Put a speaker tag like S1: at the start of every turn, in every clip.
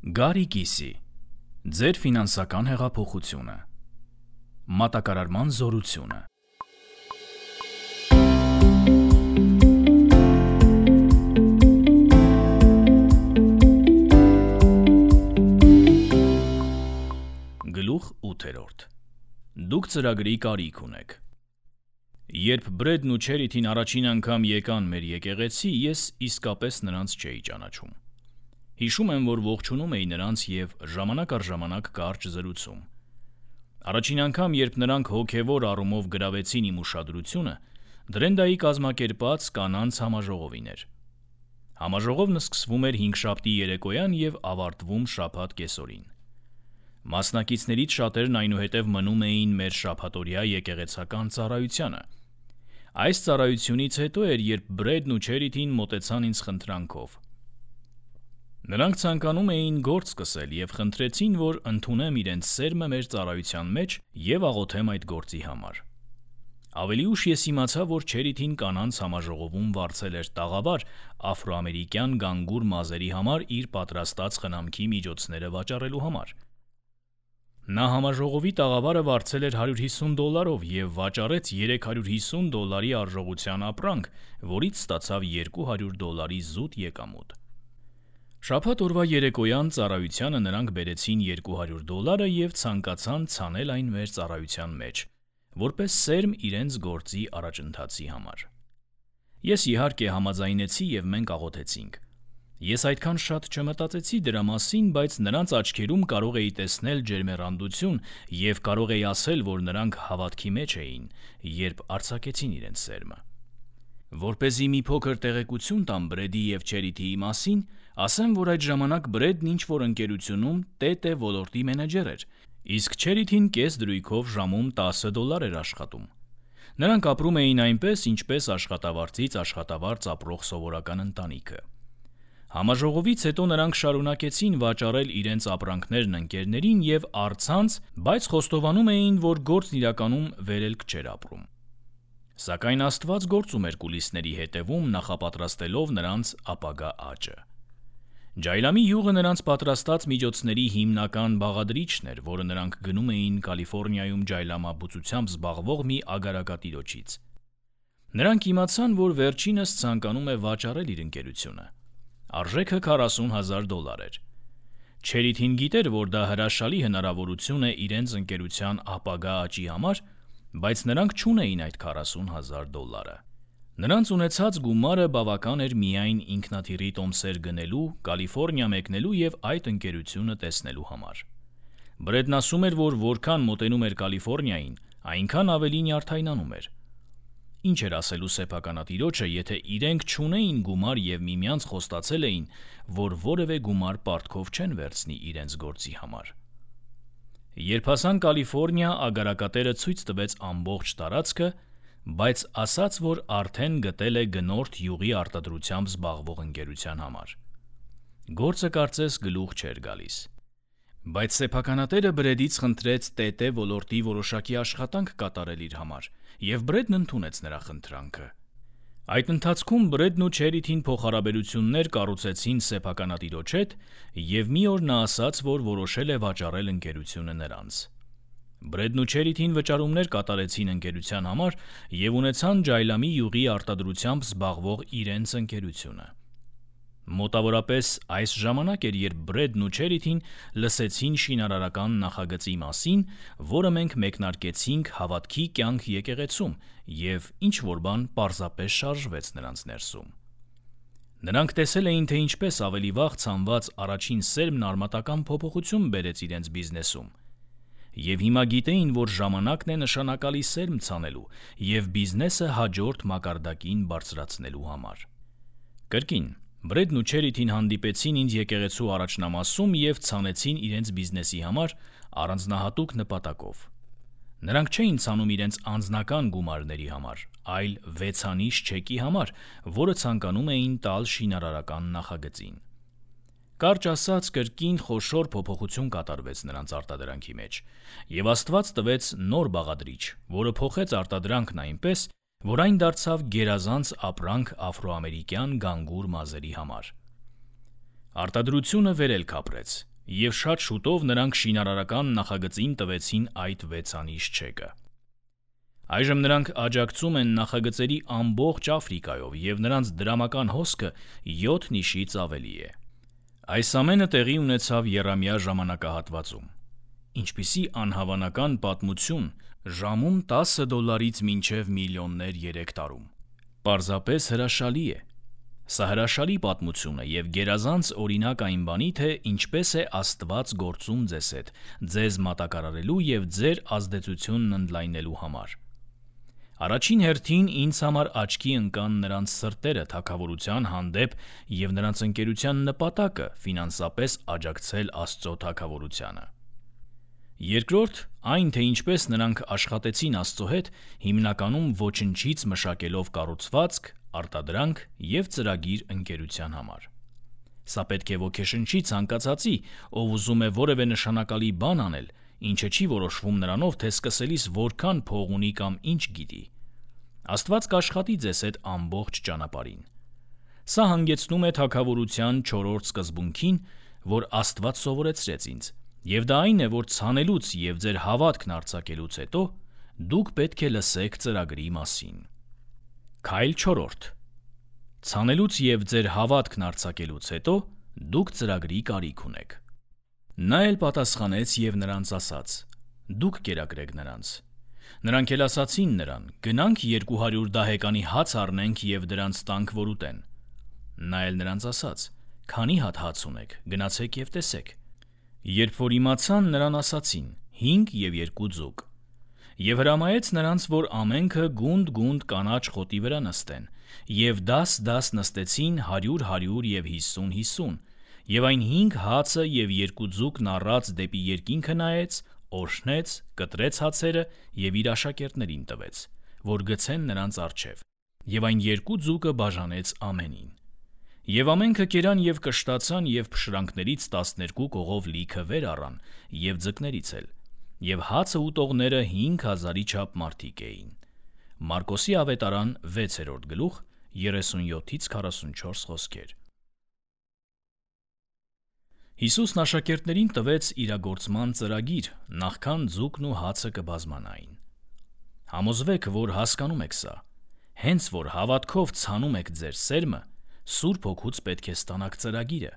S1: Գարի կիսի, ձեր ֆինանսական հեղափոխությունը, մատակարարման զորությունը։ Գլուխ 8. Դուք ծրագրի կարիք ունեք։ Երբ Բրեդն ու Չերիթին առաջին անգամ եկան մեր եկեղեցի, ես իսկապես նրանց չէի ճանաչում։ Հիշում եմ, որ ողջունում էի նրանց և ժամանակ առ ժամանակ կարճ զրուցում։ Առաջին անգամ, երբ նրանք հոգևոր առումով գրավեցին իմ ուշադրությունը, Դրենդայի կազմակերպած կանանց համաժողովին էր։ Համաժողովն սկսվում էր հինգշաբթի երեկոյան և ավարտվում շաբաթ կեսօրին։ Մասնակիցներից շատերն այնուհետև մնում էին մեր շաբաթօրյա եկեղեցական ծառայությանը։ Այս ծառայությունից հետո էր, երբ Բրեդն ու Չերիթին մոտեցան ինձ խնդրանքով։ Նրանք ցանկանում էին գործ սկսել և խնդրեցին, որ ընդունեմ իրենց սերմը մեր ծառայության մեջ և աղոթեմ այդ գործի համար։ Ավելի ուշ ես իմացա, որ Չերիթին կանանց համաժողովում վարձել էր տաղավար աֆրոամերիկյան գանգուր մազերի համար իր պատրաստած խնամքի միջոցները վաճառելու համար։ Նա համաժողովի տաղավարը վարձել էր $150 և վաճառեց $350 արժողության ապրանք, որից ստացավ $200 զուտ եկամուտ։ Շաբաթ օրվա երեկոյան ծառայությանը նրանք բերեցին $200 և ցանկացան ցանել այն մեր ծառայության մեջ, որպես սերմ իրենց գործի առաջընթացի համար։ Ես իհարկե համաձայնեցի և մենք աղոթեցինք։ Ես այդքան շատ չմտածեցի դրա մասին, բայց նրանց աչքերում կարող էի տեսնել ջերմեռանդություն և կարող էի ասել, որ նրանք հավատքի մեջ էին, երբ արձակեցին իրենց սերմը։ Որպեսզի մի փոքր տեղեկություն տամ Բրեդի և Չերիթիի մասին, ասեմ, որ այդ ժամանակ Բրեդն ինչ-որ ընկերությունում ՏՏ ոլորտի մենեջեր էր, իսկ Չերիթին կես դրույքով ժամում $10 էր աշխատում։ Նրանք ապրում էին այնպես, ինչպես աշխատավարձից աշխատավարձ ապրող սովորական ընտանիքը։ Համաժողովից հետո նրանք շարունակեցին վաճառել իրենց ապրանքներն ընկերներին և առցանց, բայց խոստովանում էին, որ գործն իրականում վերելք չէր ապրում։ Սակայն Աստված գործում էր կուլիսների հետևում, նախապատրաստելով նրանց ապագա աճը։ Ջայլամի յուղը նրանց պատրաստած միջոցների հիմնական բաղադրիչն էր, որը նրանք գնում էին Կալիֆոռնիայում ջայլամաբուծությամբ զբաղվող մի ագարակատիրոջից։ Նրանք իմացան, որ վերջինս ցանկանում է վաճառել իր ընկերությունը։ Արժեքը $40,000 էր։ Չերիթին գիտեր, որ դա հրաշալի հնարավորություն է իրենց ընկերության ապագա աճի համար, բայց նրանք չունեին այդ $40,000։ Նրանց ունեցած գումարը բավական էր միայն ինքնաթիռի տոմսեր գնելու, Կալիֆոռնիա մեկնելու և այդ ընկերությունը տեսնելու համար։ Բրեդն ասում էր, որ որքան մոտենում էր Կալիֆոռնիային, այնքան ավելի նյարդայնանում էր։ Ինչ էր ասելու սեփականատիրոջը, եթե իրենք չունեին գումար և միմյանց խոստացել էին, որ որևէ գումար պարտքով չեն վերցնի իրենց գործի համար։ Երբ հասան Կալիֆոռնիա, ագարակատերը ցույց տվեց ամբողջ տարածքը, բայց ասաց, որ արդեն գտել է գնորդ յուղի արտադրությամբ զբաղվող ընկերության համար։ Գործը կարծես գլուխ չէր գալիս։ Բայց սեփականատերը Բրեդից խնդրեց ՏՏ ոլորտի որոշակի աշխատանք կատարել իր համար, և Բրեդն ընդունեց նրա խնդրանքը։ Այդ ընթացքում Բրեդն ու Չերիթին փոխհարաբերություններ կառուցեցին սեփականատիրոջ հետ, և մի օր նա ասաց, որ որոշել է վաճառել ընկերությունը նրանց։ Բրեդն ու Չերիթին վճարումներ կատարեցին ընկերության համար և ունեցան Ջայլամի յուղի արտադրությամբ զբաղվող իրենց ընկերությունը։ Մոտավորապես այս ժամանակ էր, երբ Բրեդն ու Չերիթին լսեցին շինարարական նախագծի մասին, որը մենք մեկնարկեցինք հավատքի կյանք եկեղեցում, և ինչ-որ բան պարզապես շարժվեց նրանց ներսում։ Նրանք տեսել էին, թե ինչպես ավելի վաղ ցանված առաջին սերմն արմատական փոփոխություն բերեց իրենց բիզնեսում, և հիմա գիտեին, որ ժամանակն է նշանակալի սերմ ցանելու և բիզնեսը հաջորդ մակարդակին բարձրացնելու համար։ Կրկին, Բրեդն ու Չերիթին հանդիպեցին ինձ եկեղեցու առաջնամասում և ցանեցին իրենց բիզնեսի համար առանձնահատուկ նպատակով։ Նրանք չէին ցանում իրենց անձնական գումարների համար, այլ վեցանիշ չեկի համար, որը ցանկանում էին տալ շինարարական նախագծին։ Կարճ ասած, կրկին խոշոր փոփոխություն կատարվեց նրանց արտադրանքի մեջ, և Աստված տվեց նոր բաղադրիչ, որը փոխեց արտադրանքն այնպես, որ այն դարձավ գերազանց ապրանք աֆրոամերիկյան գանգուր մազերի համար։ Արտադրությունը վերելք ապրեց, Եվ շատ շուտով նրանք շինարարական նախագծին տվեցին այդ 6-անիշ չեկը։ Այժմ նրանք աջակցում են նախագծերի ամբողջ Աֆրիկայով և նրանց դրամական հոսքը 7 նիշից ավելի է։ Այս ամենը տեղի ունեցավ եռամյա ժամանակահատվածում։ Ինչպիսի անհավանական պատմություն, ժամում $10-ից մինչև միլիոններ 3 տարում։ Պարզապես հրաշալի է։ Սա հրաշալի պատմություն է և գերազանց օրինակ այն բանի, թե ինչպես է Աստված գործում ձեզ հետ, ձեզ մատակարարելու և ձեր ազդեցությունն ընդլայնելու համար։ Առաջին հերթին ինձ համար աչքի ընկան նրանց սրտերը թագավորության հանդեպ և նրանց ընկերության նպատակը ֆինանսապես աջակցել Աստծո թագավորությանը։ Երկրորդ, այն թե ինչպես նրանք աշխատեցին Աստծո հետ, հիմնականում ոչնչից մշակելով կառուցվածք, արտադրանք և ծրագիր ընկերության համար։ Սա պետք է ոգեշնչի ցանկացածի, ով ուզում է որևէ նշանակալի բան անել, ինչը չի որոշվում նրանով, թե սկսելիս որքան փող ունի կամ ինչ գիտի։ Աստված կաշխատի ձեզ հետ ամբողջ ճանապարհին։ Սա հանգեցնում է թագավորության 4-րդ սկզբունքին, որ Աստված սովորեցրեց ինձ, և դա այն է, որ ցանելուց և ձեր հավատքն արձակելուց հետո դուք պետք է լսեք ծրագրի մասին։ Քայլ 4. Ցանելուց և ձեր հավատքն արձակելուց հետո դուք ծրագրի կարիք ունեք։ Նա էլ պատասխանեց և նրանց ասաց. «Դուք կերակրեք նրանց»։ Նրանք էլ ասացին նրան. «Գնանք 200 դահեկանի հաց առնենք և դրանց տանք, որ ուտեն»։ Նա էլ նրանց ասաց. «Քանի հատ հաց ունեք, գնացեք և տեսեք»։ Երբ որ իմացան, նրան ասացին. 5 և 2 ձուկ։ Եվ հրամայեց նրանց, որ ամենքը գունդ կանաչ խոտի վրա նստեն, և դաս նստեցին 100 և 50, և այն 5 հացը և 2 ձուկն առած դեպի երկինքը նայեց, օրհնեց, կտրեց հացերը և իր աշակերտներին տվեց, որ գցեն նրանց առջև, և այն 2 ձուկը բաժանեց ամենին։ Եվ ամենքը կերան և կշտացան և փշրանքներից 12 կողով լիքը վեր առան և ձկներից էլ, և հացը ուտողները 5000-ի չափ մարդիկ էին։ Մարկոսի ավետարան 6-րդ գլուխ 37-44 խոսքեր։ Հիսուսն աշակերտներին տվեց իրագործման ծրագիր, նախքան ձուկն ու հացը կբազմանային։ Համոզվեք, որ հասկանում եք սա։ Հենց որ հավատքով ցանում եք ձեր սերմը, Սուրբ Հոգուց պետք է ստանաք ծրագիրը։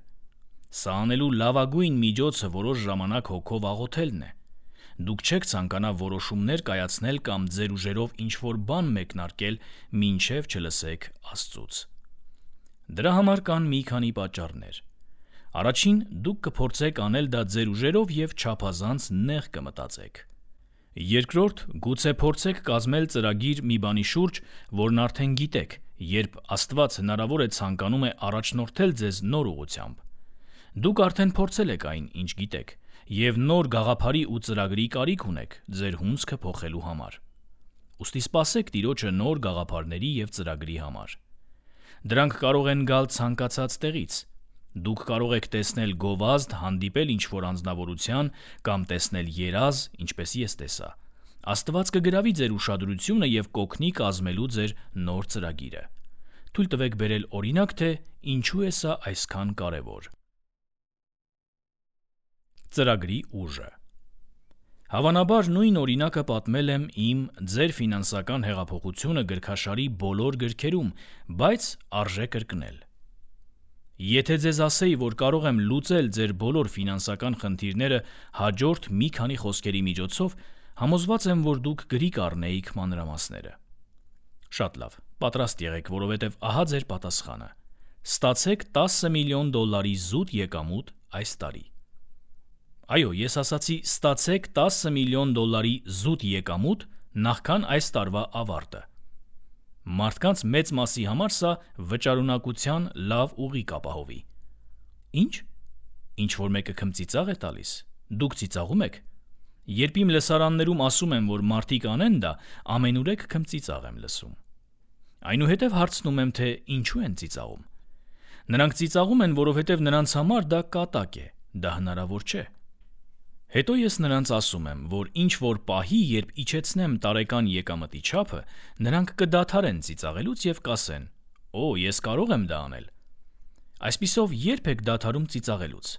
S1: Սա անելու լավագույն միջոցը որոշ ժամանակ հոգով աղոթելն է։ Դուք չեք ցանկանա որոշումներ կայացնել կամ ձեր ուժերով ինչ-որ բան մեկնարկել, մինչև չլսեք Աստծուց։ Դրա համար կան մի քանի պատճառներ։ Առաջին, դուք կփորձեք անել դա ձեր ուժերով և չափազանց նեղ կմտածեք։ Երկրորդ, գուցե փորձեք կազմել ծրագիր մի բանի շուրջ, որն արդեն գիտեք, երբ Աստված հնարավոր է ցանկանում է առաջնորդել ձեզ նոր ուղղությամբ։ Դուք արդեն փորձել եք այն, ինչ գիտեք, և նոր գաղափարի ու ծրագրի կարիք ունեք ձեր հունձքը փոխելու համար։ Ուստի սպասեք Տիրոջը նոր գաղափարների և ծրագրի համար։ Դրանք կարող են գալ ցանկացած տեղից։ Դուք կարող եք տեսնել գովազդ, հանդիպել ինչ-որ անձնավորության կամ տեսնել երազ, ինչպես ես տեսա։ Աստված կգրավի ձեր ուշադրությունը և կօգնի կազմելու ձեր նոր ծրագիրը։ Թույլ տվեք բերել օրինակ, թե ինչու է սա այսքան կարևոր։ Ծրագրի ուժը։ Հավանաբար նույն օրինակը պատմել եմ իմ «Ձեր ֆինանսական հեղափոխությունը» գրքաշարի բոլոր գրքերում, բայց արժե կրկնել։ Եթե ձեզ ասեի, որ կարող եմ լուծել ձեր բոլոր ֆինանսական խնդիրները հաջորդ մի քանի խոսքերի միջոցով, համոզված եմ, որ դուք գրի կառնեիք մանրամասները։ Շատ լավ, պատրաստ եղեք, որովհետև ահա ձեր պատասխանը։ Ստացեք $10 միլիոն զուտ եկամուտ այս տարի։ Այո, ես ասացի ստացեք $10 միլիոն զուտ եկամուտ նախքան այս տարվա ավարտը։ Մարդկանց մեծ մասի համար սա վճարունակության լավ ուղի կապահովի։ Ինչ։ Ինչ-որ մեկը քմծիծաղ է տալիս։ Դուք ծիծաղում եք։ Երբ իմ լսարաններում ասում եմ, որ մարդիկ անեն դա, ամենուրեք քմծիծաղ եմ լսում։ Այնուհետև հարցնում եմ, թե ինչու են ծիծաղում։ Նրանք ծիծաղում են, որովհետև նրանց համար դա կատակ է, դա հնարավոր չէ։ Հետո ես նրանց ասում եմ, որ ինչ-որ պահի, երբ իջեցնեմ տարեկան եկամտի չափը, նրանք կդադարեն ծիծաղելուց և կասեն. «Օ, ես կարող եմ դա անել»։ Այսպիսով, երբ եք դադարում ծիծաղելուց։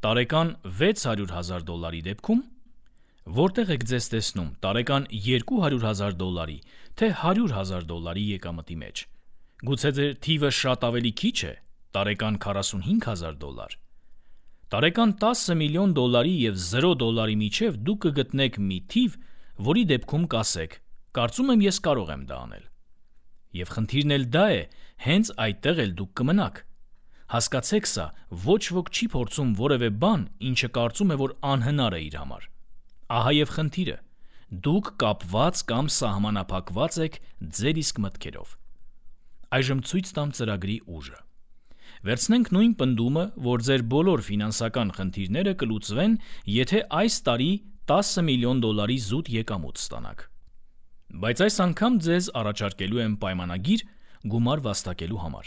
S1: տարեկան $600,000 դեպքում, որտեղ եք ձեզ տեսնում տարեկան $200,000 թե $100,000 եկամտի մեջ, գուցե ձեր թիվը շատ ավելի քիչ է, տարեկան $45,000, տարեկան $10 միլիոն և $0 միջև դուք կգտնեք մի թիվ, որի դեպքում կասեք, կարծում եմ ես կարող եմ դա անել։ Եվ խնդիրն էլ դա է, հենց այդտեղ էլ դուք կմնաք։ Հասկացեք սա, ոչ ոք չի փորձում որևէ բան, ինչը կարծում է, որ անհնար է իր համար։ Ահա եւ խնդիրը։ Դուք կապված կամ սահմանափակված եք ձեր իսկ մտքերով։ Այժմ ցույց տամ ծրագրի ուժը։ Վերցնենք նույն պնդումը, որ ձեր բոլոր ֆինանսական խնդիրները կլուծվեն, եթե այս տարի $10 միլիոն զուտ եկամուտ ստանաք։ Բայց այս անգամ ձեզ առաջարկելու եմ պայմանագիր գումար վաստակելու համար։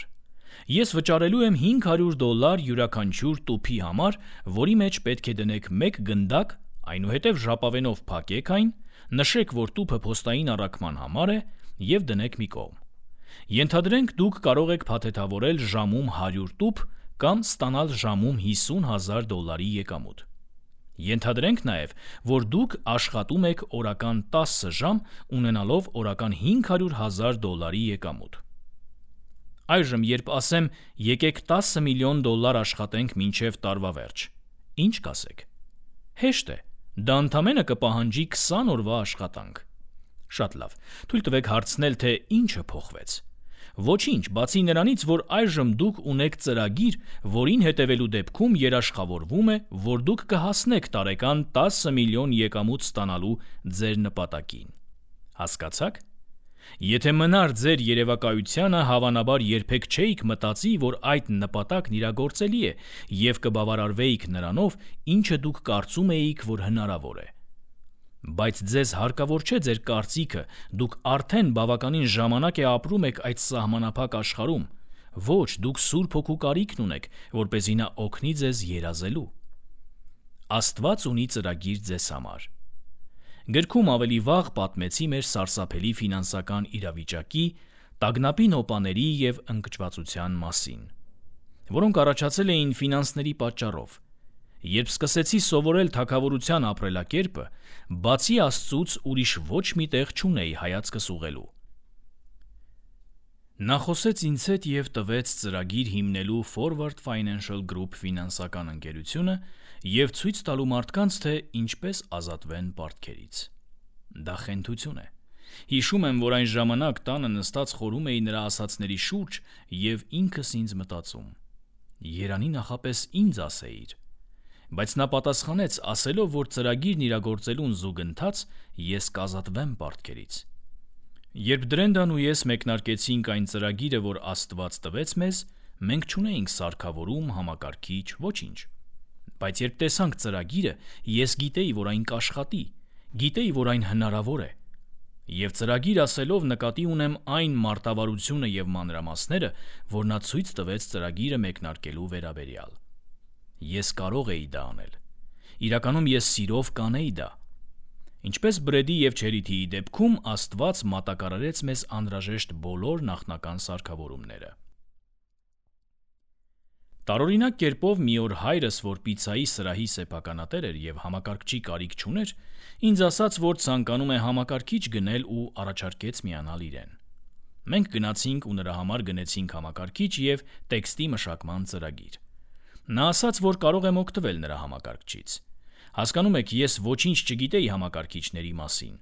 S1: Ես վճարելու եմ $500 յուրաքանչյուր տուփի համար, որի մեջ պետք է դնեք 1 գնդակ, այնուհետև ժապավենով փակեք այն, նշեք, որ տուփը փոստային առաքման համար է և դնեք մի կողմ։ Ենթադրենք դուք կարող եք փաթեթավորել ժամում 100 տուփ կամ ստանալ ժամում $50,000 եկամուտ։ Ենթադրենք նաև, որ դուք աշխատում եք օրական 10 ժամ, ունենալով օրական $500,000 եկամուտ։ Այժմ, երբ ասեմ, եկեք $10 միլիոն աշխատենք մինչև տարվա վերջ, ինչ կասեք։ Հեշտ է, դա ընդամենը կպահանջի 20 օրվա աշխատանք։ Շատ լավ, թույլ տվեք հարցնել, թե ինչը փոխվեց։ Ոչինչ, բացի նրանից, որ այժմ դուք ունեք ծրագիր, որին հետևելու դեպքում երաշխավորվում է, որ դուք կհասնեք տարեկան $10 միլիոն եկամուտ ստանալու ձեր նպատակին։ Հասկացաք։ Եթե մնար ձեր երևակայությանը, հավանաբար երբեք չէիք մտածի, որ այդ նպատակն իրագործելի է և կբավարարվեիք նրանով, ինչը դուք կարծում էիք, որ հնարավոր է։ Բայց ձեզ հարկավոր չէ ձեր կարծիքը, դուք արդեն բավականին ժամանակ է ապրում եք այդ սահմանափակ աշխարհում։ Ոչ, դուք Սուրբ Հոգու կարիքն ունեք, որպեսզի նա օգնի ձեզ երազելու։ Աստված ունի ծրագիր ձեզ համար։ Գրքում ավելի վաղ պատմեցի մեր սարսափելի ֆինանսական իրավիճակի, տագնապի նոպաների և ընկճվածության մասին, որոնք առաջացել էին ֆինանսների պատճառով։ Երբ սկսեցի սովորել թագավորության ապրելակերպը, բացի Աստծուց ուրիշ ոչ մի տեղ չունեի հայացքս ուղղելու։ Նա խոսեց ինձ հետ և տվեց ծրագիր հիմնելու Forward Financial Group ֆինանսական ընկերությունը և ցույց տալու մարդկանց, թե ինչպես ազատվեն պարտքերից։ Դա խենթություն է։ Հիշում եմ, որ այն ժամանակ տանը նստած խորհում էի նրա ասածների շուրջ և ինքս ինձ մտածում. երանի նախապես ինձ ասեիր։ Բայց նա պատասխանեց, ասելով, որ ծրագիրն իրագործելուն զուգընթաց ես կազատվեմ պարտքերից։ Երբ Դրենդան ու ես մեկնարկեցինք այն ծրագիրը, որ Աստված տվեց մեզ, մենք չունեինք սարքավորում, համակարգիչ, ոչինչ։ Բայց երբ տեսանք ծրագիրը, ես գիտեի, որ այն կաշխատի, գիտեի, որ այն հնարավոր է։ Եվ ծրագիր ասելով նկատի ունեմ այն մարտավարությունը և մանրամասները, որ նա ցույց տվեց ծրագիրը մեկնարկելու վերաբերյալ։ Ես կարող էի դա անել։ Իրականում ես սիրով կանեի դա։ Ինչպես Բրեդի և Չերիթիի դեպքում Աստված մատակարարեց մեզ անհրաժեշտ բոլոր նախնական սարքավորումները։ Տարօրինակ կերպով մի օր հայրս, որ պիցցայի սրահի սեփականատեր էր և համակարգչի կարիք չուներ, ինձ ասաց, որ ցանկանում է համակարգիչ գնել ու առաջարկեց միանալ իրեն։ Մենք գնացինք ու նրա համար գնեցինք համակարգիչ և տեքստի մշակման ծրագիր։ Նա ասաց, որ կարող եմ օգտվել նրա համակարգչից։ Հասկանում եք, ես ոչինչ չգիտեի համակարգիչների մասին։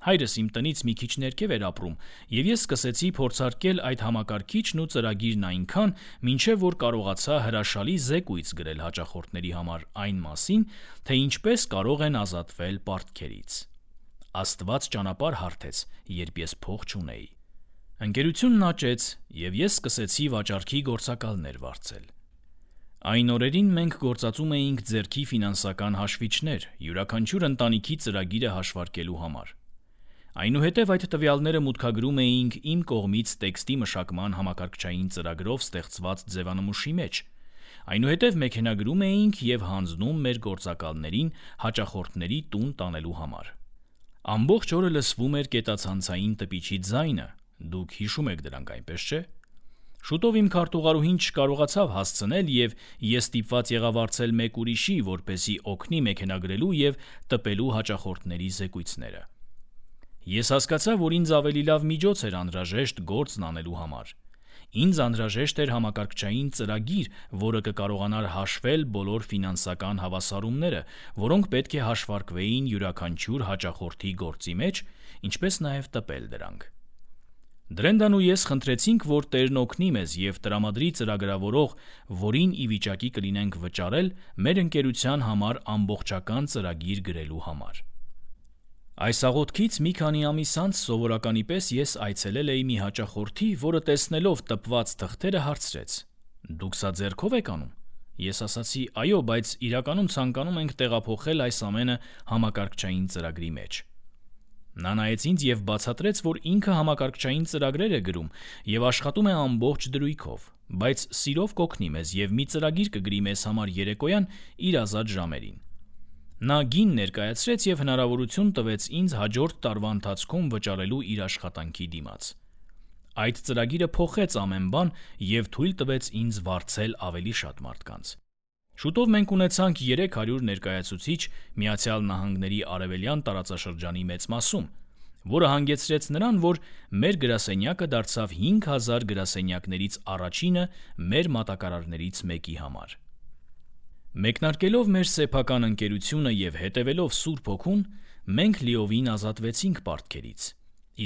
S1: Հայրս իմ տնից մի քիչ ներքև էր ապրում, և ես սկսեցի փորձարկել այդ համակարգիչն ու ծրագիրն այնքան, մինչև որ կարողացա հրաշալի զեկույց գրել հաճախորդների համար այն մասին, թե ինչպես կարող են ազատվել պարտքերից։ Աստված ճանապարհ հարթեց, երբ ես փող չունեի։ Ընկերությունն աճեց, և ես սկսեցի վաճառքի գործակալներ վարձել։ Այն օրերին մենք գործածում էինք ձեռքի ֆինանսական հաշվիչներ, յուրաքանչյուր ընտանիքի ծրագիրը հաշվարկելու համար։ Այնուհետև այդ տվյալները մուտքագրում էինք իմ կողմից տեքստի մշակման համակարգչային ծրագրով ստեղծված ձևանմուշի մեջ։ Այնուհետև մեքենագրում էինք և հանձնում մեր գործակալներին հաճախորդների տուն տանելու համար։ Ամբողջ օրը լսվում էր կետացանցային տպիչի ձայնը, դուք հիշում եք դրանք, այնպես չէ՞։ Շուտով իմ քարտուղարուհին չկարողացավ հասցնել եւ ես ստիպված եղա վարձել մեկ ուրիշի, որպեսզի օգնի մեքենագրելու եւ տպելու հաճախորդների զեկույցները։ Ես հասկացա, որ ինձ ավելի լավ միջոց էր անհրաժեշտ գործն անելու համար։ Ինձ անհրաժեշտ էր համակարգչային ծրագիր, որը կկարողանար հաշվել բոլոր ֆինանսական հավասարումները, որոնք պետք է հաշվարկվեին յուրաքանչյուր հաճախորդի գործի մեջ, ինչպես նաև տպել դրանք։ Դրենդան ու ես խնդրեցինք, որ Տերն օգնի մեզ եւ տրամադրի ծրագրավորող, որին ի վիճակի կլինենք վճարել մեր ընկերության համար ամբողջական ծրագիր գրելու համար։ Այս աղոթքից մի քանի ամիս անց սովորականի պես ես այցելել էի մի հաճախորդի, որը տեսնելով տպված թղթերը հարցրեց. «Դուք սա ձեռքով եք անում»։ Ես ասացի. «Այո, բայց իրականում ցանկանում ենք տեղափոխել այս ամենը համակարգչային ծրագրի մեջ»։ Նա նայեց ինձ եւ բացատրեց, որ ինքը համակարգչային ծրագրեր է գրում եւ աշխատում է ամբողջ դրույքով, բայց սիրով կօգնի մեզ եւ մի ծրագիր կգրի մեզ համար երեկոյան իր ազատ ժամերին։ Նա գին ներկայացրեց եւ հնարավորություն տվեց ինձ հաջորդ տարվա ընթացքում վճարելու իր աշխատանքի դիմաց։ Այդ ծրագիրը փոխեց ամեն բան եւ թույլ տվեց ինձ վարձել ավելի շատ մարդկանց։ Շուտով մենք ունեցանք 300 ներկայացուցիչ Միացյալ Նահանգների արևելյան տարածաշրջանի մեծ մասում, որը հանգեցրեց նրան, որ մեր գրասենյակը դարձավ 5000 գրասենյակներից առաջինը մեր մատակարարներից մեկի համար։ Մեկնարկելով մեր սեփական ընկերությունը եւ հետևելով Սուրբ Հոգուն, մենք լիովին ազատվեցինք պարտքերից,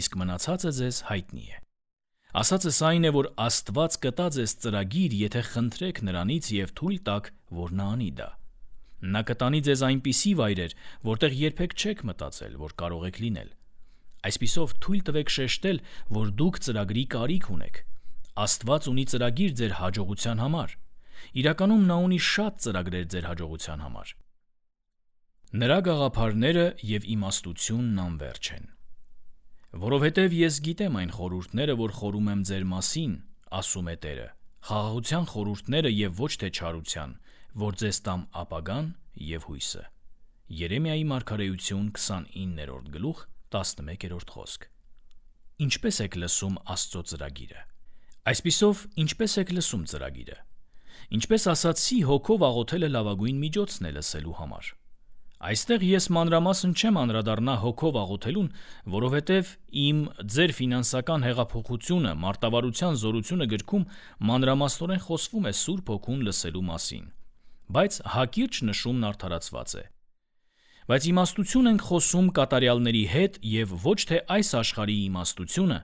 S1: իսկ մնացածը ձեզ հայտնի է։ Ասածս այն է, որ Աստված կտա ձեզ ծրագիր, եթե խնդրեք նրանից եւ թույլ տաք, որ նա անի դա։ Նա կտանի ձեզ այնպիսի վայրեր, որտեղ երբեք չեք մտածել, որ կարող եք լինել։ Այսպիսով թույլ տվեք շեշտել, որ դուք ծրագրի կարիք ունեք։ Աստված ունի ծրագիր ձեր հաջողության համար։ Իրականում նա ունի շատ ծրագրեր ձեր հաջողության համար։ Նրա գաղափարները եւ իմաստությունն անվերջ են։ Որովհետև ես գիտեմ այն խորհուրդները, որ խորում եմ ձեր մասին, ասում է Տերը, խաղաղության խորհուրդները եւ ոչ թե չարության, որ ձեզ տամ ապագան եւ հույսը։ Երեմիայի մարգարեություն 29-րդ գլուխ 11-րդ խոսք։ Ինչպես եք լսում Աստծո ծրագիրը։ Այսպիսով, ինչպես եք լսում ծրագիրը։ Ինչպես ասացի, հոգով աղոթելը լավագույն միջոցն է լսելու համար։ Այստեղ ես մանրամասն չեմ անդրադառնա հոգով աղոթելուն, որովհետև իմ ձեր ֆինանսական հեղափոխությունը, մարտավարության զորությունը գրքում մանրամասնորեն խոսվում է Սուրբ Հոգուն լսելու մասին, բայց հակիրճ նշումն արդարացված է։ Բայց իմաստություն ենք խոսում կատարյալների հետ եւ ոչ թե այս աշխարհի իմաստությունը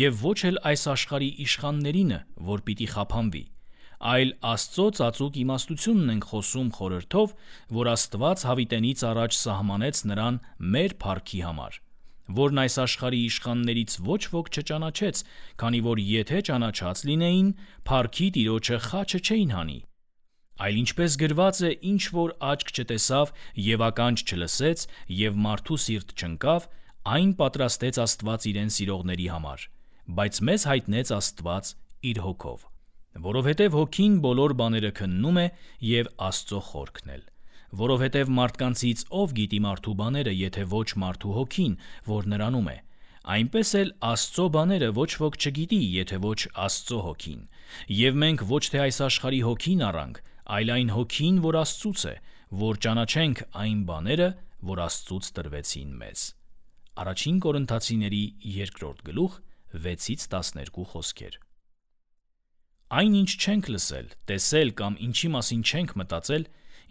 S1: եւ ոչ էլ այս աշխարհի իշխաններինը, որ պիտի խափանվի, այլ Աստծո ծածուկ իմաստությունն ենք խոսում խորհրդով, որ Աստված հավիտենից առաջ սահմանեց նրան մեր փառքի համար, որն այս աշխարհի իշխաններից ոչ ոք չճանաչեց, քանի որ եթե ճանաչած լինեին, փառքի Տիրոջը խաչը չէին հանի, այլ ինչպես գրված է, ինչ որ աչք չտեսավ եւ ականջ չլսեց եւ մարդու սիրտ չընկավ, այն պատրաստեց Աստված իրեն սիրողների համար, բայց մեզ հայտնեց Աստված իր հոգով, որովհետև հոգին բոլոր բաները քննում է եւ Աստծո խորքն էլ, որովհետև մարդկանցից ով գիտի մարդու բաները, եթե ոչ մարդու հոգին, որ նրանում է, այնպես էլ Աստծո բաները ոչ ոք չգիտի, եթե ոչ Աստծո հոգին, եւ մենք ոչ թե այս աշխարհի հոգին առանք, այլ այն հոգին, որ Աստծուց է, որ ճանաչենք այն բաները, որ Աստծուց տրվեցին մեզ։ Առաջին Կորինթացիների 2-րդ գլուխ 6-ից 12 խոսքեր։ Այն ինչ չենք լսել, տեսել կամ ինչի մասին չենք մտածել,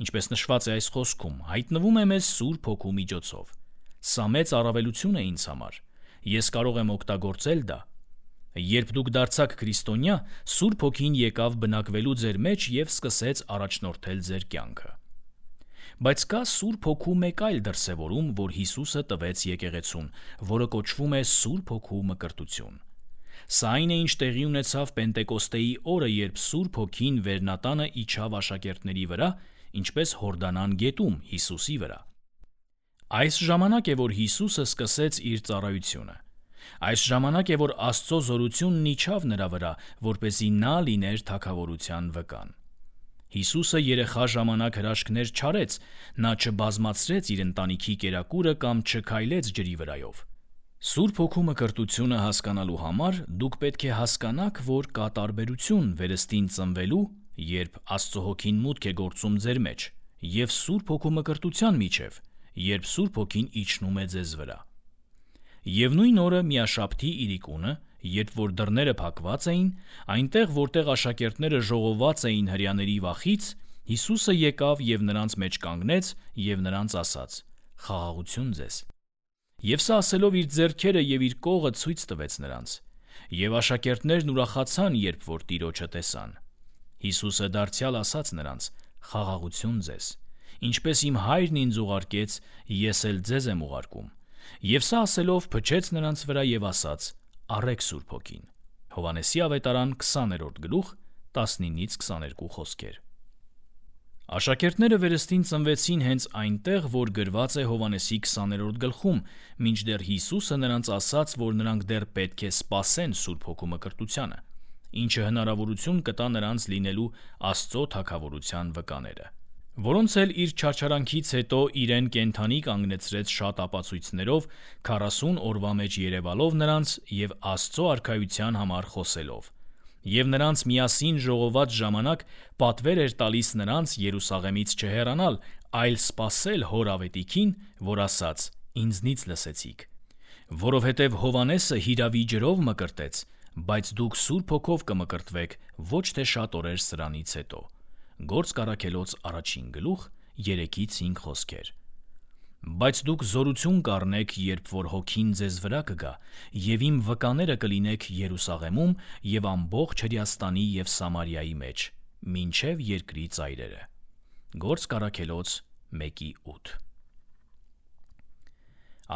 S1: ինչպես նշված է այս խոսքում, հայտնվում է մեզ Սուրբ Հոգու միջոցով։ Սա մեծ առավելություն է ինձ համար։ Ես կարող եմ օգտագործել դա։ Երբ դուք դարձաք քրիստոնյա, Սուրբ Հոգին եկավ բնակվելու ձեր մեջ եւ սկսեց առաջնորդել ձեր կյանքը։ Բայց կա Սուրբ Հոգու մեկ այլ դրսևորում, որ Հիսուսը տվեց եկեղեցուն, որը կոչվում է Սուրբ Հոգու մկրտություն։ Սա այն է, ինչ տեղի ունեցավ Պենտեկոստեի օրը, երբ Սուրբ Հոգին Վերնատանը իջավ աշակերտների վրա, ինչպես Հորդանան գետում Հիսուսի վրա։ Այս ժամանակ է, որ Հիսուսը սկսեց իր ծառայությունը։ Այս ժամանակ է, որ Աստծո զորությունն իջավ նրա վրա, որպեսզի նա լիներ թագավորության վկան։ Հիսուսը երեխա ժամանակ հրաշքներ չարեց, նա չբազմացրեց իր ընտանիքի կերակուրը կամ չքայլեց ջրի վրայով։ Սուրբ Հոգու մկրտությունը հասկանալու համար դուք պետք է հասկանաք, որ կա տարբերություն վերստին ծնվելու, երբ Աստծո Հոգին մուտք է գործում ձեր մեջ, և Սուրբ Հոգու մկրտության միջև, երբ Սուրբ Հոգին իջնում է ձեզ վրա։ Եվ նույն օրը միաշաբթի իրիկունը, երբ որ դռները փակված էին, այնտեղ, որտեղ աշակերտները ժողոված էին հրեաների վախից, Հիսուսը եկավ և նրանց մեջ կանգնեց և նրանց ասաց. «Խաղաղություն ձեզ»։ Եվ սա ասելով իր ձեռքերը և իր կողը ցույց տվեց նրանց։ Եվ աշակերտներն ուրախացան, երբ որ Տիրոջը տեսան։ Հիսուսը դարձյալ ասաց նրանց. «Խաղաղություն ձեզ, ինչպես իմ Հայրն ինձ ուղարկեց, ես էլ ձեզ եմ ուղարկում»։ Եվ սա ասելով փչեց նրանց վրա և ասաց. «Առեք Սուրբ Հոգին»։ Հովհաննեսի ավետարան 20-րդ գլուխ 19-22 խոսքեր։ Աշակերտները վերստին ծնվեցին հենց այնտեղ, որ գրված է Հովհաննեսի 20-րդ գլխում, մինչդեռ Հիսուսը նրանց ասաց, որ նրանք դեռ պետք է սպասեն Սուրբ Հոգու մկրտությանը, ինչը հնարավորություն կտա նրանց լինելու Աստծո թագավորության վկաները, որոնց էլ իր չարչարանքից հետո իրեն կենդանի կանգնեցրեց շատ ապացույցներով, 40 օրվա մեջ երևալով նրանց և Աստծո արքայության համար խոսելով, և նրանց միասին ժողոված ժամանակ պատվեր էր տալիս նրանց Երուսաղեմից չհեռանալ, այլ սպասել Հոր ավետիքին, որ ասաց. «Ինձնից լսեցիք»։ Որովհետև Հովհաննեսը հիրավի ջրով մկրտեց, բայց դուք Սուրբ Հոգով կմկրտվեք ոչ թե շատ օրեր սրանից հետո։ Գործք Առաքելոց 1 գլուխ 3-5 խոսքեր։ Բայց դուք զորություն կառնեք, երբ որ Հոգին ձեզ վրա կգա, և իմ վկաները կլինեք Երուսաղեմում և ամբողջ Հրեաստանի և Սամարիայի մեջ, մինչև երկրի ծայրերը։ Գործք Առաքելոց 1:8։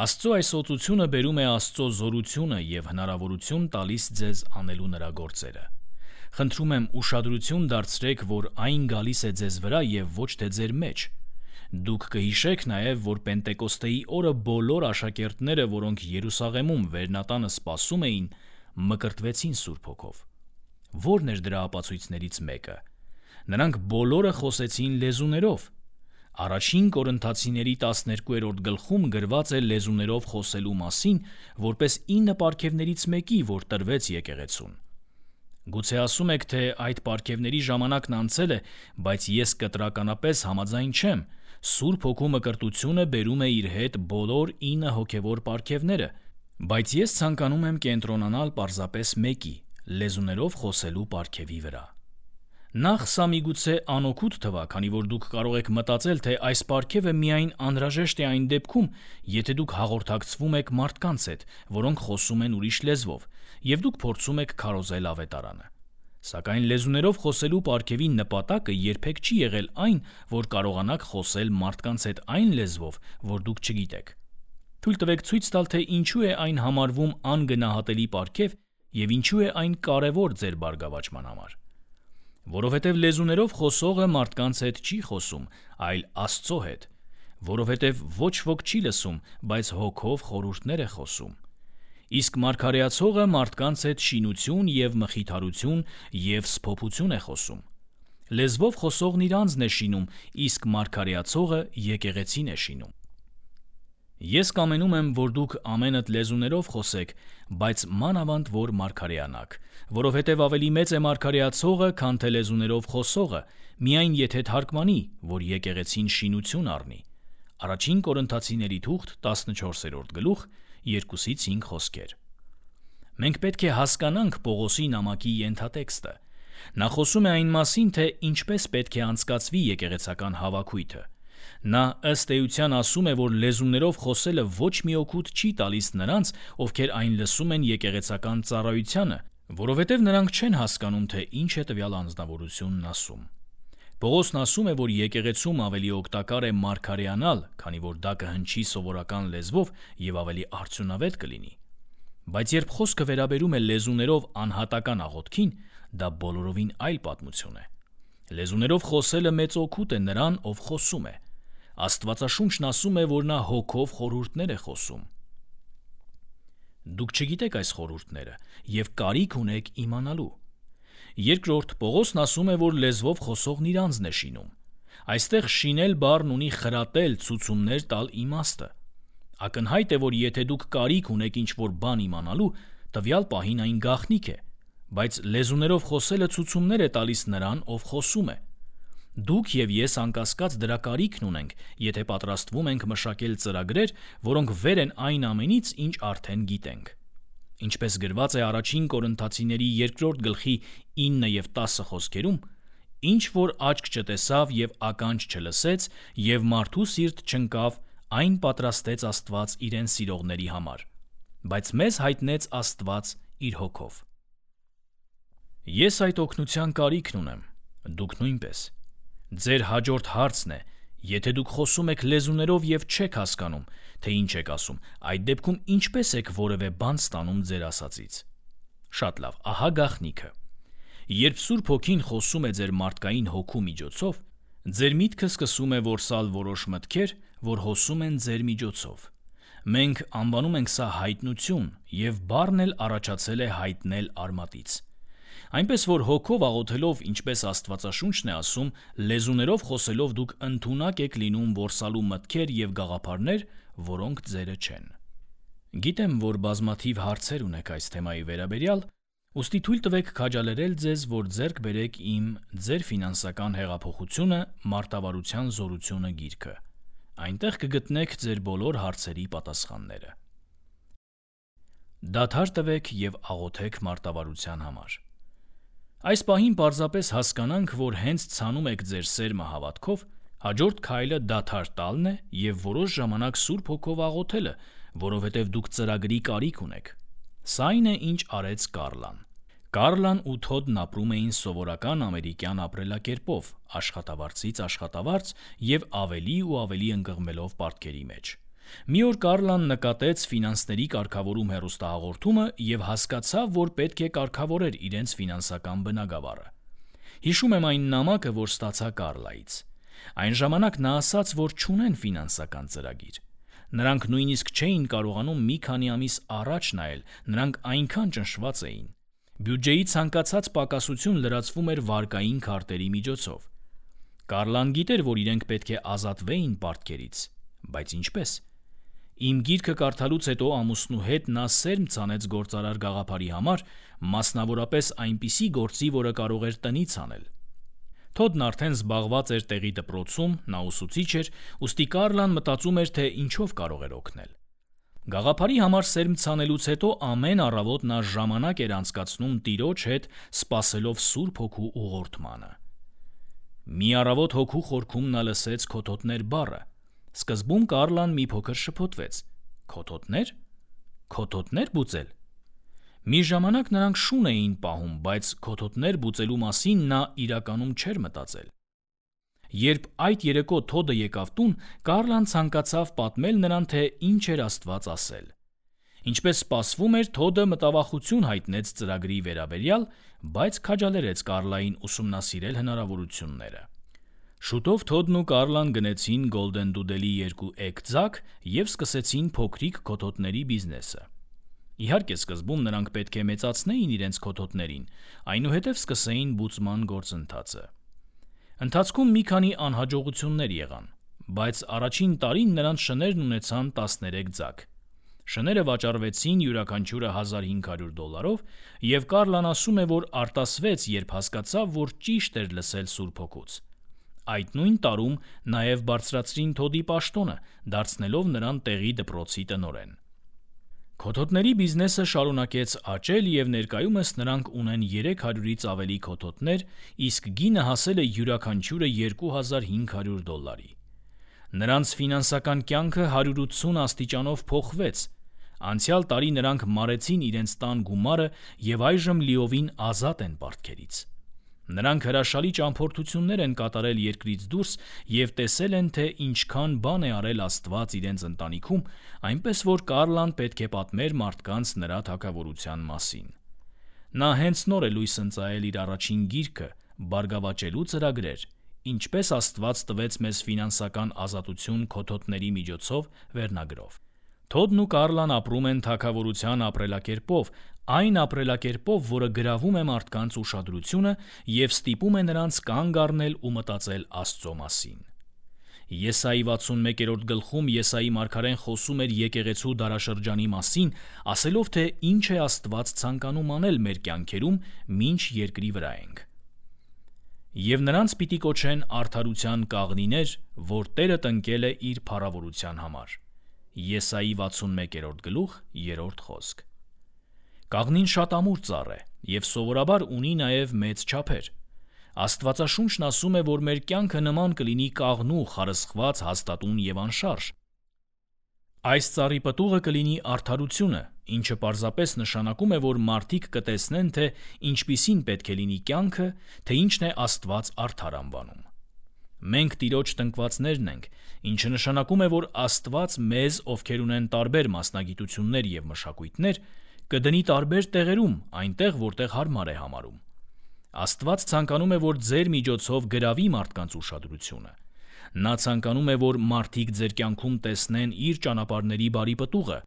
S1: Աստծո այս օծությունը բերում է Աստծո զորությունը և հնարավորություն տալիս ձեզ անելու նրա գործերը։ Խնդրում եմ ուշադրություն դարձրեք, որ այն գալիս է ձեզ վրա և ոչ թե ձեր մեջ։ Դուք կհիշեք նաև, որ Պենտեկոստեի օրը բոլոր աշակերտները, որոնք Երուսաղեմում վերնատանը սպասում էին, մկրտվեցին Սուրբ Հոգով։ Ո՞րն էր դրա ապացույցներից մեկը։ Նրանք բոլորը խոսեցին լեզուներով։ Առաջին Կորինթացիների 12-րդ գլխում գրված է լեզուներով խոսելու մասին, որպես 9 պարգևներից մեկի, որ տրվեց եկեղեցուն։ Գուցե ասում եք, թե այդ պարգևների ժամանակն անցել է, բայց ես կտրականապես համաձայն չեմ։ Սուրբ Հոգու մկրտությունը բերում է իր հետ բոլոր 9 հոգևոր պարգևները, բայց ես ցանկանում եմ կենտրոնանալ պարզապես մեկի՝ լեզուներով խոսելու պարգևի վրա։ Նախ սա միգուցե անօգուտ թվա, քանի որ դուք կարող եք մտածել, թե այս պարգևը միայն անհրաժեշտ է այն դեպքում, եթե դուք հաղորդակցվում եք մարդկանց հետ, որոնք խոսում են ուրիշ լեզվով, և դուք փորձում եք քարոզել ավետարանը։ Սակայն լեզուներով խոսելու պարգևի նպատակը երբեք չի եղել այն, որ կարողանաք խոսել մարդկանց հետ այն լեզվով, որ դուք չգիտեք։ Թույլ տվեք ցույց տալ, թե ինչու է այն համարվում անգնահատելի պարգև և ինչու է այն կարևոր ձեր բարգավաճման համար։ Որովհետև լեզուներով խոսողը մարդկանց հետ չի խոսում, այլ Աստծո հետ, որովհետև ոչ ոք չի լսում, բայց Հոգով խորհուրդներ է խոսում։ Իսկ մարգարեացողը մարդկանց հետ շինություն և մխիթարություն և սփոփություն է խոսում։ Լեզվով խոսողն իր անձն է շինում, իսկ մարգարեացողը եկեղեցին է շինում։ Ես կամենում եմ, որ դուք ամենդ լեզուներով խոսեք, բայց մանավանդ որ մարգարեանաք, որովհետև ավելի մեծ է մարգարեացողը, քան թե լեզուներով խոսողը, միայն եթե թարգմանի, որ եկեղեցին շինություն առնի։ Առաջին Կորինթացիների թուղթ 14-րդ գլուխ 2-5 խոսքեր։ Մենք պետք է հասկանանք Պողոսի նամակի ենթատեքստը։ Նա խոսում է այն մասին, թե ինչպես պետք է անցկացվի եկեղեցական հավաքույթը։ Նա ըստ էության ասում է, որ լեզուներով խոսելը ոչ մի օգուտ չի տալիս նրանց, ովքեր այն լսում են եկեղեցական ծառայությանը, որովհետև նրանք չեն հասկանում, թե ինչ է տվյալ անձնավորությունն ասում։ Պողոսն ասում է, որ եկեղեցում ավելի օգտակար է մարգարեանալ, քանի որ դա կհնչի սովորական լեզվով և ավելի արդյունավետ կլինի։ Բայց երբ խոսքը վերաբերում է լեզուներով անհատական աղոթքին, դա բոլորովին այլ պատմություն է։ Լեզուներով խոսելը մեծ օգուտ է նրան, ով խոսում է։ Աստվածաշունչն ասում է, որ նա Հոգով խորհուրդներ է խոսում։ Դուք չգիտեք այս խորհուրդները և կարիք ունեք իմանալու։ Երկրորդ Պողոսն ասում է, որ լեզվով խոսողն իր անձն է շինում։ Այստեղ շինել բառն ունի խրատել, ցուցումներ տալ իմաստը։ Ակնհայտ է, որ եթե դուք կարիք ունեք ինչ-որ բան իմանալու, տվյալ պահին այն գաղտնիք է, բայց լեզուներով խոսելը ցուցումներ է տալիս նրան, ով խոսում է։ Դուք եւ ես անկասկած դրա կարիքն ունենք, եթե պատրաստվում ենք մշակել ծրագրեր, որոնք վեր են այն ամենից, ինչ արդեն գիտենք։ Ինչպես գրված է առաջին Կորինթացիների 2-րդ գլխի 9 եւ 10 խոսքերում, ինչ որ աչք չտեսավ եւ ականջ չլսեց եւ մարդու սիրտ չընկավ, այն պատրաստեց Աստված իրեն սիրողների համար, բայց մեզ հայտնեց Աստված իր հոգով։ Ես այդ օգնության կարիքն ունեմ, դուք նույնպես։ Ձեր հաջորդ հարցն է, եթե դուք խոսում եք լեզուներով եւ չեք հասկանում, թե ինչ եք ասում, այդ դեպքում ինչպես եք որևէ բան ստանում ձեր ասածից։ Շատ լավ, ահա գաղտնիքը։ Երբ Սուրբ Հոգին խոսում է ձեր մարդկային հոգու միջոցով, ձեր միտքը սկսում է որսալ որոշ մտքեր, որ հոսում են ձեր միջոցով։ Մենք անվանում ենք սա հայտնություն, եւ բառն էլ առաջացել է հայտնել արմատից։ Այնպես որ հոգով աղոթելով, ինչպես Աստվածաշունչն է ասում, լեզուներով խոսելով դուք ընդունակ եք լինում որսալու մտքեր եւ գաղափարներ, որոնք ձերը չեն։ Գիտեմ, որ բազմաթիվ հարցեր ունեք այս թեմայի վերաբերյալ, ուստի թույլ տվեք քաջալերել ձեզ, որ ձեռք բերեք իմ «Ձեր ֆինանսական հեղափոխությունը. մարտավարության զորությունը» գիրքը։ Այնտեղ կգտնեք ձեր բոլոր հարցերի պատասխանները։ Դադար տվեք եւ աղոթեք մարտավարության համար։ Այս պահին պարզապես հասկանանք, որ հենց ցանում եք ձեր սերմը հավատքով, հաջորդ քայլը դադար տալն է եւ որոշ ժամանակ Սուրբ Հոգով աղոթելը, որովհետեւ դուք ծրագրի կարիք ունեք։ Սա այն է, ինչ արեց Կարլան։ Կարլան ու Թոդն ապրում էին սովորական ամերիկյան ապրելակերպով, աշխատավարձից աշխատավարձ եւ ավելի ու ավելի ընկղմելով պարտքերի մեջ։ Մի օր Կարլան նկատեց ֆինանսների կարգավորում հեռուստահաղորդումը եւ հասկացավ, որ պետք է կարգավորեր իրենց ֆինանսական բնագավառը։ Հիշում եմ այն նամակը, որ ստացա Կարլայից։ Այն ժամանակ նա ասաց, որ չունեն ֆինանսական ծրագիր։ Նրանք նույնիսկ չէին կարողանում մի քանի ամիս առաջ նայել, նրանք այնքան ճնշված էին։ Բյուջեի ցանկացած պակասություն լրացվում էր վարկային քարտերի միջոցով։ Կարլան գիտեր, որ իրենք պետք է ազատվեին պարտքերից, բայց ինչպես։ Իմ գիրքը կարդալուց հետո ամուսնու հետ նա սերմ ցանեց գործարար գաղափարի համար, մասնավորապես այնպիսի գործի, որը կարող էր տնից անել։ Թոդն արդեն զբաղված էր տեղի դպրոցում, նա ուսուցիչ էր, ուստի Կարլան մտածում էր, թե ինչով կարող էր օգնել։ Գաղափարի համար սերմ ցանելուց հետո ամեն առավոտ նա ժամանակ էր անցկացնում տիրոջ հետ, սպասելով Սուրբ Հոգու ուղղորդմանը։ Մի առավոտ հոգու խորքում նա լսեց «քոթոթներ» բառը։ Սկզբում Կարլան մի փոքր շփոթվեց։ Քոթոթներ? Քոթոթներ բուծել։ Մի ժամանակ նրանք շուն էին պահում, բայց քոթոթներ բուծելու մասին նա իրականում չէր մտածել։ Երբ այդ երեկո Թոդը եկավ տուն, Կարլան ցանկացավ պատմել նրան, թե ինչ էր Աստված ասել։ Ինչպես սպասվում էր, Թոդը մտավախություն հայտնեց ծրագրի վերաբերյալ, բայց քաջալերեց Կարլային ուսումնասիրել հնարավորությունները։ Շուտով Թոդն ու Կարլան գնեցին Golden Doodle-ի 2 էգ ձակ եւ սկսեցին փոքրիկ քոթոթների բիզնեսը։ Իհարկե, սկզբում նրանք պետք է մեծացնեին իրենց քոթոթներին, այնուհետև սկսեին բուծման գործընթացը։ Ընթացքում մի քանի անհաջողություններ եղան, բայց առաջին տարին նրանց շներն ունեցան 13 ձակ։ Շները վաճառվեցին յուրաքանչյուրը $1500 եւ Կարլան ասում է, որ արտասվեց, երբ հասկացավ, որ ճիշտ էր լսել Սուրբ Հոգուց։ Այդ նույն տարում նաև բարձրացրին Թոդի պաշտոնը, դարձնելով նրան տեղի դպրոցի տնօրեն։ Քոթոթների բիզնեսը շարունակեց աճել եւ ներկայումս նրանք ունեն 300-ից ավելի քոթոթներ, իսկ գինը հասել է յուրաքանչյուրը $2500։ Նրանց ֆինանսական կյանքը 180 աստիճանով փոխվեց։ Անցյալ տարի նրանք մարեցին իրենց տան գումարը եւ այժմ լիովին ազատ են պարտքերից։ Նրանք հրաշալի ճամփորդություններ են կատարել երկրից դուրս եւ տեսել են, թե ինչքան բան է արել Աստված իրենց ընտանիքում, այնպես որ Կարլան պետք է պատմեր մարդկանց նրա թագավորության մասին։ Նա հենց նոր է լույս ընծայել իր առաջին գիրքը «Բարգավաճելու ծրագրեր. Ինչպես Աստված տվեց մեզ ֆինանսական ազատություն քոթոթների միջոցով» վերնագրով։ Թոդն ու Կարլան ապրում են թագավորության ապրելակերպով, այն ապրելակերպով, որը գրավում է մարդկանց ուշադրությունը եւ ստիպում է նրանց կանգ առնել ու մտածել Աստծո մասին։ Եսայի 61-րդ գլխում Եսայի մարգարեն խոսում էր եկեղեցու դարաշրջանի մասին, ասելով, թե ինչ է Աստված ցանկանում անել մեր կյանքերում, մինչ երկրի վրա ենք։ Եվ նրանց պիտի կոչեն արդարության կաղնիներ, որ Տերը տնկել է իր փառավորության համար։ Եսայի 61-րդ գլուխ 3-րդ խոսք։ Կաղնին շատ ամուր ծառ է և սովորաբար ունի նաև մեծ չափեր։ Աստվածաշունչն ասում է, որ մեր կյանքը նման կլինի կաղնու, խարսխված, հաստատուն և անշարժ։ Այս ծառի պտուղը կլինի արդարությունը, ինչը պարզապես նշանակում է, որ մարդիկ կտեսնեն, թե ինչպիսին պետք է լինի կյանքը, թե ինչն է Աստված արդար անվանում։ Մենք Տիրոջ տնկվածներն ենք, ինչը նշանակում է, որ Աստված մեզ, ովքեր ունեն տարբեր մասնագիտություններ և մշակույթներ, կդնի տարբեր տեղերում, այնտեղ, որտեղ հարմար է համարում։ Աստված ցանկանում է, որ ձեր միջոցով գրավի մարդկանց ուշադրությունը։ Նա ցանկանում է, որ մարդիկ ձեր կյանքում տեսնեն իր ճանապարհների բարի պտուղը,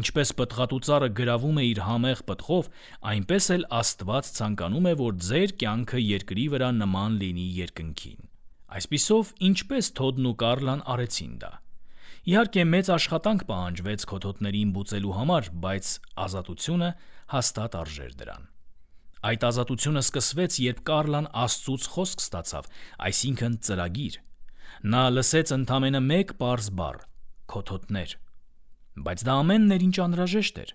S1: ինչպես պտղատու ծառը գրավում է իր համեղ պտղով, այնպես էլ Աստված ցանկանում է, որ ձեր կյանքը երկրի վրա նման լինի երկնքին։ Այսպիսով, ինչպես Թոդն ու Կարլան արեցին դա։ Իհարկե, մեծ աշխատանք պահանջվեց քոթոթներին բուծելու համար, բայց ազատությունը հաստատ արժեր դրան։ Այդ ազատությունը սկսվեց, երբ Կարլան Աստծուց խոսք ստացավ, այսինքն ծրագիր։ Նա լսեց ընդամենը մեկ պարզ բառ՝ քոթոթներ։ Բայց դա ամենն էր, ինչ անհրաժեշտ էր։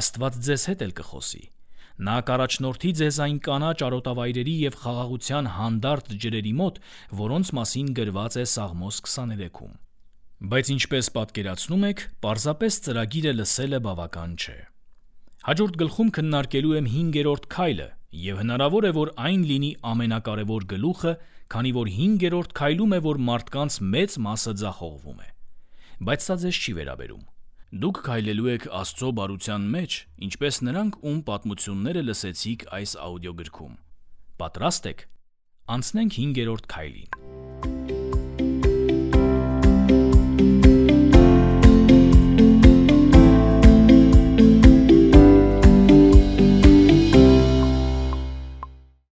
S1: Աստված ձեզ հետ էլ կխոսի։ Նա կառաջնորդի ձեզ այն կանաչ արոտավայրերի և խաղաղության հանդարտ ջրերի մոտ, որոնց մասին գրված է Սաղմոս 23-ում։ Բայց ինչպես պատկերացնում եք, պարզապես ծրագիրը լսելը բավական չէ։ Հաջորդ գլխում քննարկելու եմ 5-րդ քայլը, և հնարավոր է, որ այն լինի ամենակարևոր գլուխը, քանի որ 5-րդ քայլում է, որ մարդկանց մեծ մասը ձախողվում է։ Բայց սա ձեզ չի վերաբերում։ Դուք քայլելու եք Աստծո բարության մեջ, ինչպես նրանք, ում պատմությունները լսեցիք այս աուդիոգրքում։ Պատրաստ եք։ Անցնենք 5-րդ քայլին։